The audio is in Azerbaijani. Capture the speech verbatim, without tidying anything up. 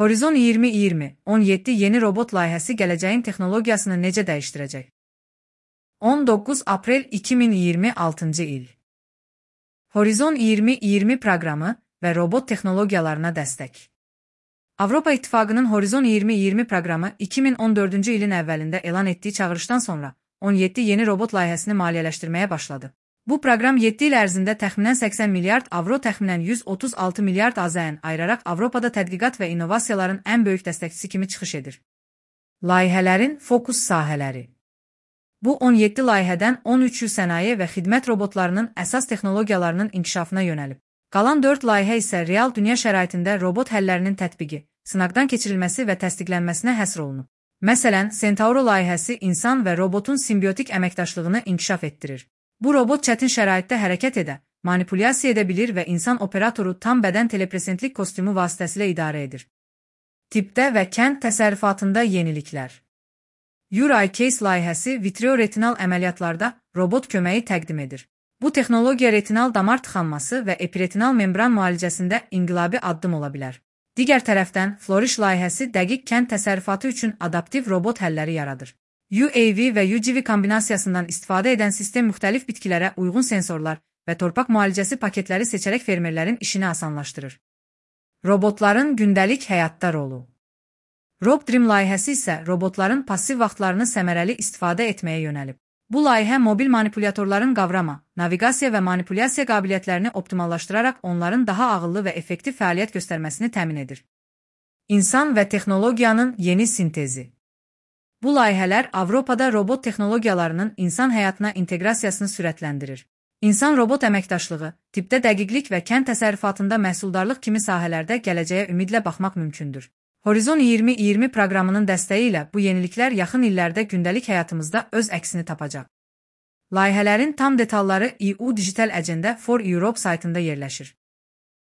Horizon iyirmi iyirmi on yeddi yeni robot layihəsi gələcəyin texnologiyasını necə dəyişdirəcək? on doqquz aprel iki min iyirmi altıncı il. Horizon iyirmi iyirmi proqramı və robot texnologiyalarına dəstək. Avropa İttifaqının Horizon iyirmi iyirmi proqramı iki min on dördüncü ilin əvvəlində elan etdiyi çağırışdan sonra on yeddi yeni robot layihəsini maliyyələşdirməyə başladı. Bu proqram yeddi il ərzində təxminən səksən milyard avro, təxminən yüz otuz altı milyard AZN ayıraraq Avropada tədqiqat və innovasiyaların ən böyük dəstəkçisi kimi çıxış edir. Layihələrin fokus sahələri. Bu on yeddi layihədən on üçü sənaye və xidmət robotlarının əsas texnologiyalarının inkişafına yönəlib. Qalan dörd layihə isə real dünya şəraitində robot həllərinin tətbiqi, sınaqdan keçirilməsi və təsdiqlənməsinə həsr olunub. Məsələn, Centauro layihəsi insan və robotun simbiotik əməkdaşlığını inkişaf etdirir. Bu robot çətin şəraitdə hərəkət edə, manipulyasiya edə bilir və insan operatoru tam bədən telepresentlik kostyumu vasitəsilə idarə edir. Tipdə və kənd təsərrüfatında yeniliklər. URI-Case layihəsi vitreoretinal əməliyyatlarda robot köməyi təqdim edir. Bu texnologiya retinal damar tıxanması və epiretinal membran müalicəsində inqilabi addım ola bilər. Digər tərəfdən, Flourish layihəsi dəqiq kənd təsərrüfatı üçün adaptiv robot həlləri yaradır. U A V və U G V kombinasiyasından istifadə edən sistem müxtəlif bitkilərə uyğun sensorlar və torpaq müalicəsi paketləri seçərək fermerlərin işini asanlaşdırır. Robotların gündəlik həyatda rolu. RobDream layihəsi isə robotların passiv vaxtlarını səmərəli istifadə etməyə yönəlib. Bu layihə mobil manipulyatorların qavrama, naviqasiya və manipulyasiya qabiliyyətlərini optimallaşdıraraq onların daha ağıllı və effektiv fəaliyyət göstərməsini təmin edir. İnsan və texnologiyanın yeni sintezi. Bu layihələr Avropada robot texnologiyalarının insan həyatına inteqrasiyasını sürətləndirir. İnsan-robot əməkdaşlığı, tipdə dəqiqlik və kənd təsərrüfatında məhsuldarlıq kimi sahələrdə gələcəyə ümidlə baxmaq mümkündür. Horizon iyirmi iyirmi proqramının dəstəyi ilə bu yeniliklər yaxın illərdə gündəlik həyatımızda öz əksini tapacaq. Layihələrin tam detalları E U Digital Agenda for Europe saytında yerləşir.